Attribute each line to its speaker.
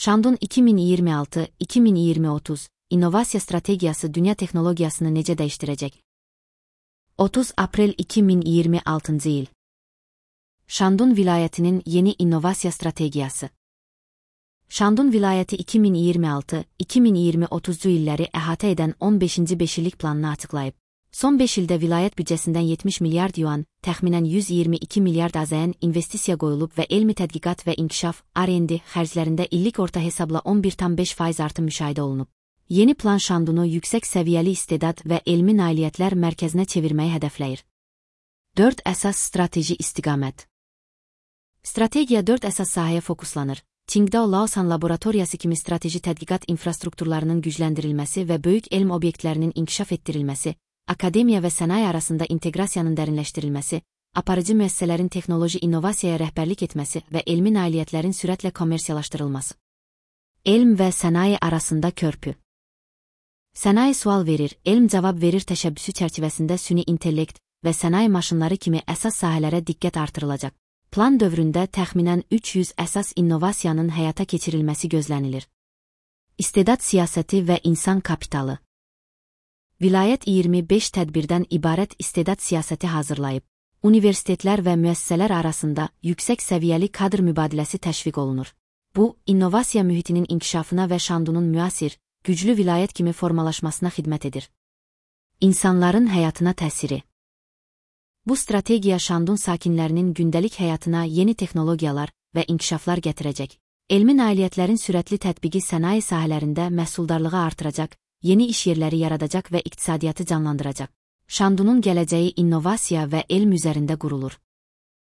Speaker 1: Şandun 2026-2030 innovasiya strategiyası dünya texnologiyasını necə dəyişdirəcək? 30 aprel 2026 il. Şandun vilayətinin yeni innovasiya strategiyası. Şandun vilayəti 2026-2030 illəri əhatə edən 15-ci beşillik planını açıqlayıb. Son 5 ildə vilayət büdcəsindən 70 milyard yuan, təxminən 122 milyard AZN investisiya qoyulub və elmi tədqiqat və inkişaf R&D xərclərində illik orta hesabla 11,5% artım müşahidə olunub. Yeni plan Şandunu yüksək səviyyəli istedad və elmi nailiyyətlər mərkəzinə çevirməyi hədəfləyir. 4 əsas strateji istiqamət. Strategiya 4 əsas sahəyə fokuslanır. Qingdao Laosan laboratoriyası kimi strateji tədqiqat infrastrukturlarının gücləndirilməsi və böyük elm obyektlərinin inkişaf etdirilməsi, akademiya və sənaye arasında inteqrasiyanın dərinləşdirilməsi, aparıcı müəssisələrin texnoloji innovasiyaya rəhbərlik etməsi və elmi nailiyyətlərin sürətlə kommersiyalaşdırılması. Elm və sənaye arasında körpü. Sənaye sual verir, elm cavab verir təşəbbüsü çərçivəsində süni intellekt və sənaye maşınları kimi əsas sahələrə diqqət artırılacaq. Plan dövründə təxminən 300 əsas innovasiyanın həyata keçirilməsi gözlənilir. İstedad siyasəti və insan kapitalı. Vilayət 25 tədbirdən ibarət istedad siyasəti hazırlayıb. Universitetlər və müəssisələr arasında yüksək səviyyəli kadr mübadiləsi təşviq olunur. Bu, innovasiya mühitinin inkişafına və Şandunun müasir, güclü vilayət kimi formalaşmasına xidmət edir. İnsanların həyatına təsiri. Bu strategiya Şandun sakinlərinin gündəlik həyatına yeni texnologiyalar və inkişaflar gətirəcək. Elmi nailiyyətlərin sürətli tətbiqi sənaye sahələrində məhsuldarlığı artıracaq, yeni iş yerləri yaradacaq və iqtisadiyyatı canlandıracaq. Şandunun gələcəyi innovasiya və elm üzərində qurulur.